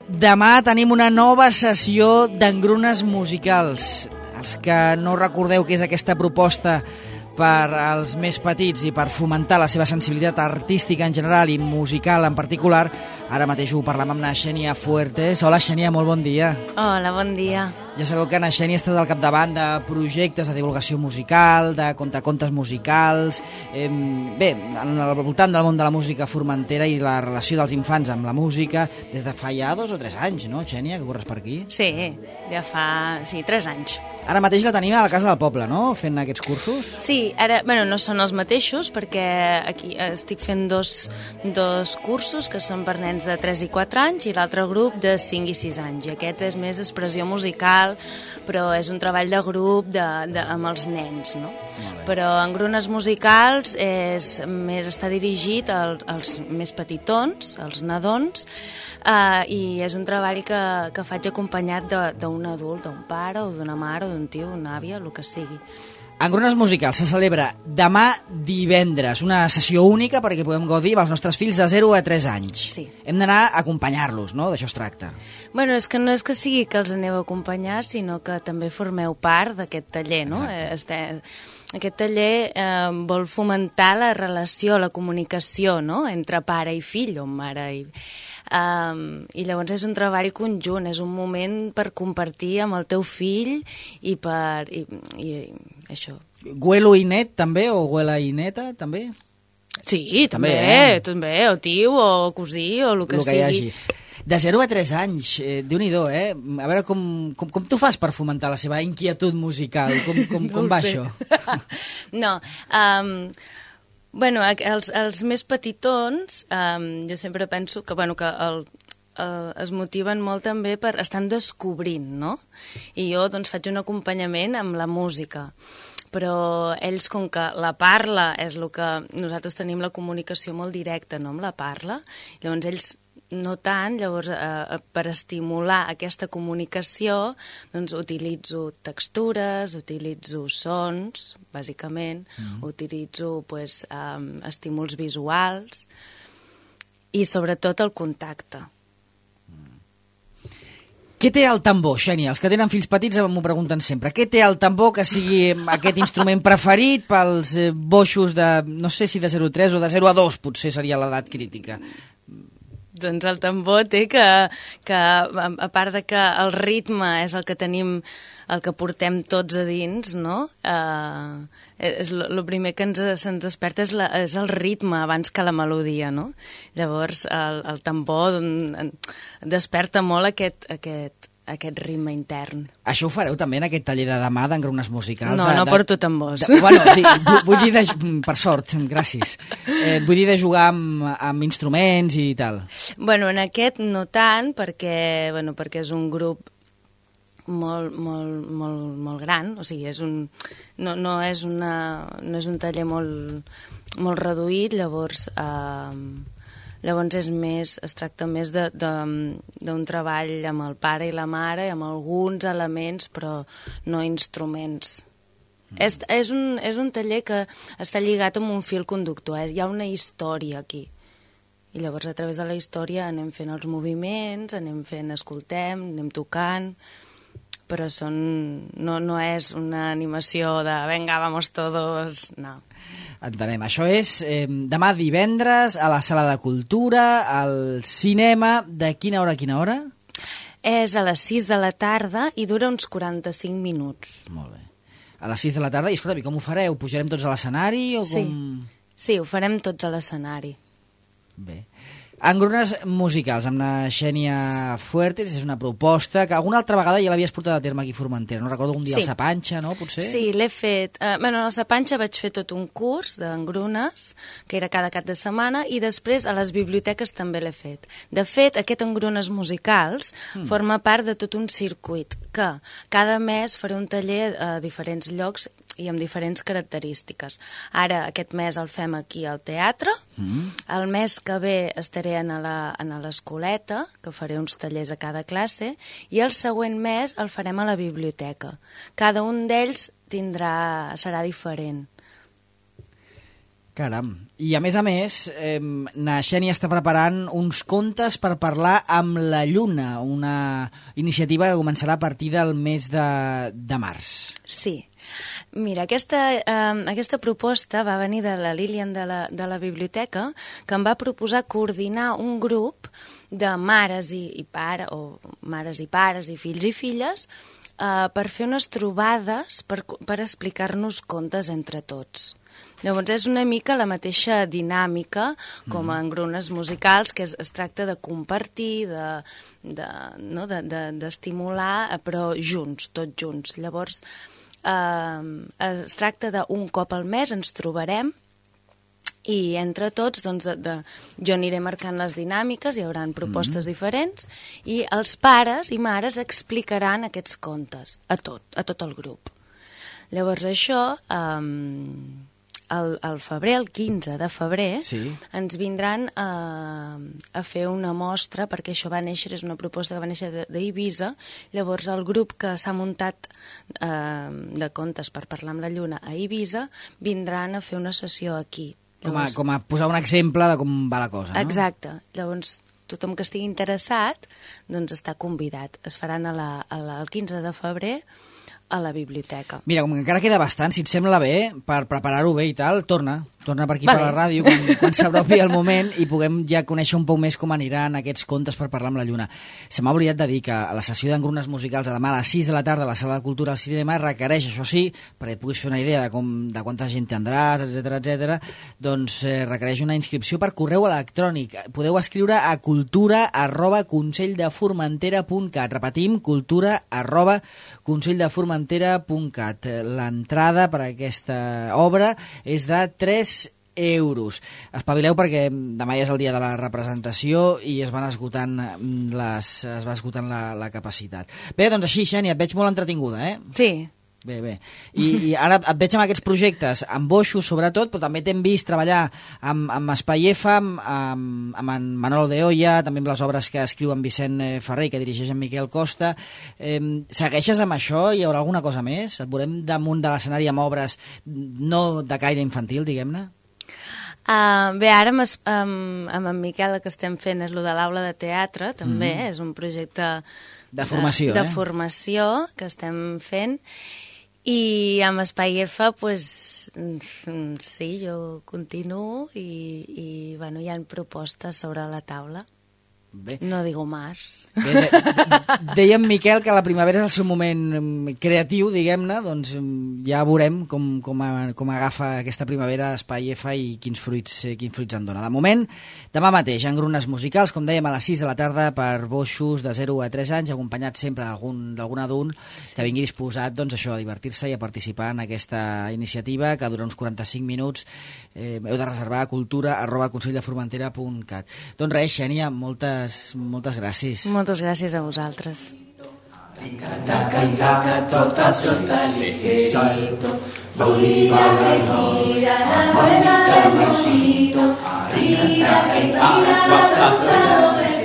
Demà tenim una nova sessió d'engrunes musicals. Els que no recordeu què és aquesta proposta per als més petits i per fomentar la seva sensibilitat artística en general i musical en particular, ara mateix ho parlem amb na Xènia Fuertes. Hola Xènia, molt bon dia. Hola, bon dia. Ja sabeu que na Xènia està al capdavant de projectes de divulgació musical, de contacontes musicals, bé, al voltant del món de la música formentera i la relació dels infants amb la música des de fa ja 2 o 3 anys, no, Xènia, que corres per aquí? Sí, ja fa 3 anys. Ara mateix la tenim a la Casa del Poble, no?, fent aquests cursos? Sí, ara, no són els mateixos, perquè aquí estic fent dos cursos que són per nens de 3 i 4 anys i l'altre grup de 5 i 6 anys. I aquest és més expressió musical, però és un treball de grup amb els nens, no? Però en grunes musicals està dirigit als més petitons, als nadons, i és un treball que faig acompanyat d'un adult, d'un pare o d'una mare o d'un tio, una àvia, el que sigui. Engrunes musicals se celebra demà divendres, una sessió única perquè podem gaudir amb els nostres fills de 0 a 3 anys. Sí. Hem d'anar a acompanyar-los, no?, d'això es tracta. Bueno, és que no és que sigui que els aneu a acompanyar, sinó que també formeu part d'aquest taller, no? Aquest taller vol fomentar la relació, la comunicació, no?, entre pare i fill o mare i... I llavors és un treball conjunt, és un moment per compartir amb el teu fill i això. Güelo i net també, o güela i neta també? Sí, també, o tio, o cosí, o el que sigui. De 0 a 3 anys, Déu-n'hi-do, A veure com tu fas per fomentar la seva inquietud musical, com va això? No, bueno, els més petitons, jo sempre penso que es motiven molt també per estar descobrint, no? I jo doncs faig un acompanyament amb la música, però ells, com que la parla és el que nosaltres tenim la comunicació molt directa, no?, amb la parla, llavors ells no tant, llavors per estimular aquesta comunicació doncs utilitzo textures, utilitzo sons, bàsicament, utilitzo estímuls visuals i sobretot el contacte. Què té el tambor, Xènia? Els que tenen fills petits m'ho pregunten sempre. Què té el tambor que sigui aquest instrument preferit pels boixos de, no sé si de 0 a 3 o de 0 a 2, potser seria l'edat crítica? Doncs el tambor té que a part de que el ritme és el que tenim, el que portem tots a dins, no? El primer que se'ns desperta és el ritme abans que la melodia, no? Llavors el tambor desperta molt aquest ritme intern. Això ho fareu també en aquest taller de demà d'engrunes musicals? No porto tambors. Vull dir, per sort, gràcies. Vull dir de jugar amb instruments i tal. Bueno, en aquest no tant, perquè és un grup molt gran, o sigui, no és un taller molt reduït, llavors es tracta més d'un treball amb el pare i la mare, amb alguns elements, però no instruments. És un taller que està lligat amb un fil conductor, hi ha una història aquí. I llavors a través de la història anem fent els moviments, escoltem, anem tocant, però no és una animació de venga, vamos todos, no. Entenem. Això és demà divendres a la Sala de Cultura, al cinema, de quina hora a quina hora? És a les 6 de la tarda i dura uns 45 minuts. Molt bé. A les 6 de la tarda, i escolta, com ho fareu? Pujarem tots a l'escenari o com...? Sí, ho farem tots a l'escenari. Bé. Engrunes musicals amb la Xènia Fuertes és una proposta que alguna altra vegada ja l'havies portat a terme aquí a Formentera. No recordo un dia a la Sapanxa, no, potser? Sí, l'he fet. A la Sapanxa vaig fer tot un curs d'engrunes, que era cada cap de setmana, i després a les biblioteques també l'he fet. De fet, aquest engrunes musicals forma part de tot un circuit, que cada mes faré un taller a diferents llocs i amb diferents característiques. Ara, aquest mes el fem aquí al teatre, el mes que ve estaré a l'escoleta, que faré uns tallers a cada classe, i el següent mes el farem a la biblioteca. Cada un d'ells serà diferent. Caram. I a més, na Xènia està preparant uns contes per parlar amb la Lluna, una iniciativa que començarà a partir del mes de març. Sí. Mira, aquesta proposta va venir de la Lilian de la biblioteca, que em va proposar coordinar un grup de mares i pares i fills i filles per fer unes trobades per explicar-nos contes entre tots. Llavors és una mica la mateixa dinàmica com en grunes musicals, que es tracta de compartir, d'estimular, però junts, tots junts. Llavors es tracta d'un cop al mes ens trobarem i entre tots jo aniré marcant les dinàmiques, hi haurà propostes diferents i els pares i mares explicaran aquests contes a tot el grup. Llavors això, al febrer, el 15 de febrer, ens vindran a fer una mostra, perquè això va néixer, és una proposta que va néixer d'Eivissa. Llavors el grup que s'ha muntat de contes per parlar amb la Lluna a Eivissa vindran a fer una sessió aquí. Llavors, com a posar un exemple de com va la cosa, no? Exacte. Llavors tothom que estigui interessat doncs està convidat. Es faran el 15 de febrer a la biblioteca. Mira, com que encara queda bastant, si et sembla bé, per preparar-ho bé i tal, torna per aquí per la ràdio quan s'apropi el moment i puguem ja conèixer un poc més com aniran aquests contes per parlar amb la Lluna. Se m'ha oblidat de dir que a la sessió d'engrunes musicals de demà a les 6 de la tarda a la Sala de Cultura al Cinema requereix, això sí, perquè et puguis fer una idea de quanta gent tindràs, etc, doncs requereix una inscripció per correu electrònic. Podeu escriure a cultura@conselldefformentera.cat. Repetim, cultura@conselldefformentera.cat. L'entrada per a aquesta obra és de 3 euros. Espavileu perquè demà ja és el dia de la representació i es va esgotant la capacitat. Bé, doncs així, Xènia, et veig molt entretinguda, eh? Sí. Bé. I ara et veig amb aquests projectes, amb Boixos sobretot, però també t'hem vist treballar amb Espai F, amb en Manolo de Oya, també amb les obres que escriu en Vicent Ferrer i que dirigeix en Miquel Costa. Segueixes amb això? Hi haurà alguna cosa més? Et veurem damunt de l'escenari amb obres no de caire infantil, diguem-ne? Bé, ara amb en Miquel el que estem fent és el de l'aula de teatre, també, és un projecte de formació, de formació que estem fent. I amb Espai F, pues, sí, jo continuo i bueno, hi ha propostes sobre la taula. Bé. No digo más. Deia en Miquel que la primavera és el seu moment creatiu, diguem-ne, doncs ja veurem com agafa aquesta primavera Espai F i quins fruits en dona. De moment, demà mateix, engrunes musicals, com dèiem, a les 6 de la tarda per Boixos de 0 a 3 anys, acompanyat sempre d'algun adult que vingui disposat, doncs, això, a divertir-se i a participar en aquesta iniciativa que dura uns 45 minuts. Heu de reservar a cultura@conselldefformentera.cat. Doncs res, Xènia, moltes gràcies. Moltes gràcies a vosaltres. Tot el seu talijito, gira, la rueda del mosquito, gira, la cosa sobre